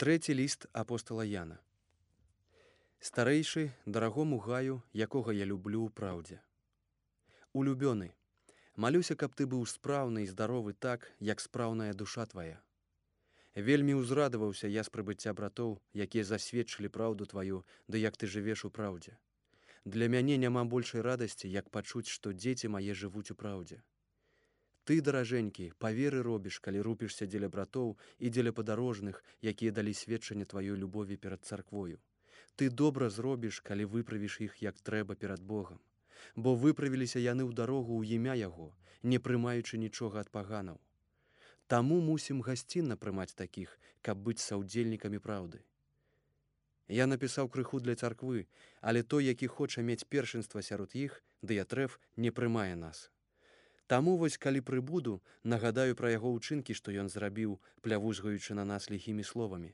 Трэці ліст апостала Яна. Старэйшы, дарагому гаю, якога я люблю ў праўдзе. Улюбёны, малюся, каб ты быў спраўны і здаровы так, як спраўная душа твая. Вельмі ўзрадаваўся я з прыбыцця братоў, якія засведчылі праўду тваю, ды як ты жывеш у праўдзе. Для мяне няма большай радасці, як пачуць, што дзеці мае жывуць у праўдзе. Ты, даражэнькі, па веры робіш, калі рупішся дзеля братоў і дзеля падарожных, якія далі сведчанне тваёй любові перад царквою. Ты добра зробіш, калі выправіш іх як трэба перад Богам. Бо выправіліся яны ў дарогу ў імя Яго, не прымаючы нічога ад паганаў. Таму мусім гасцінна прымаць такіх, каб быць саўдзельнікамі праўды. Я напісаў крыху для царквы, але той, які хоча мець першынства сярод іх, Дыятрэф, не прымае нас. Таму вось калі прыбуду, нагадаю пра яго ўчынкі, што ён зрабіў, плявузгаючы на нас ліхімі словамі.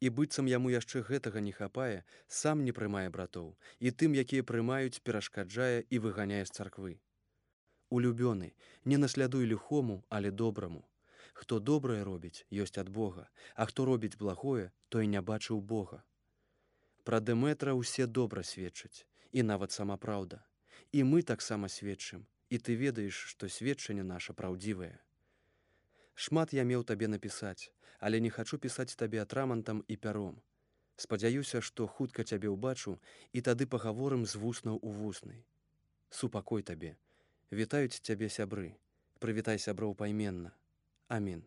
І быццам яму яшчэ гэтага не хапае, сам не прымае братоў, і тым, якія прымаюць, перашкаджае і выганяе з царквы. Улюбёны, не наслядуй ліхому, але добраму. Хто добрае робіць, ёсць ад Бога, а хто робіць благое, той не бачыў Бога. Пра Дэмэтра ўсе добра сведчаць, і нават сама праўда. І мы таксама сведчым, і ты ведаеш, што сведчанне наша праўдзівае. Шмат я меў табе напісаць, але не хачу пісаць табе атрамантам і пяром. Спадзяюся, што хутка цябе ўбачу, і тады пагаворым з вуснаў у вусны. Супакой табе. Вітаюць цябе сябры. Прывітай сяброў пайменна. Амін.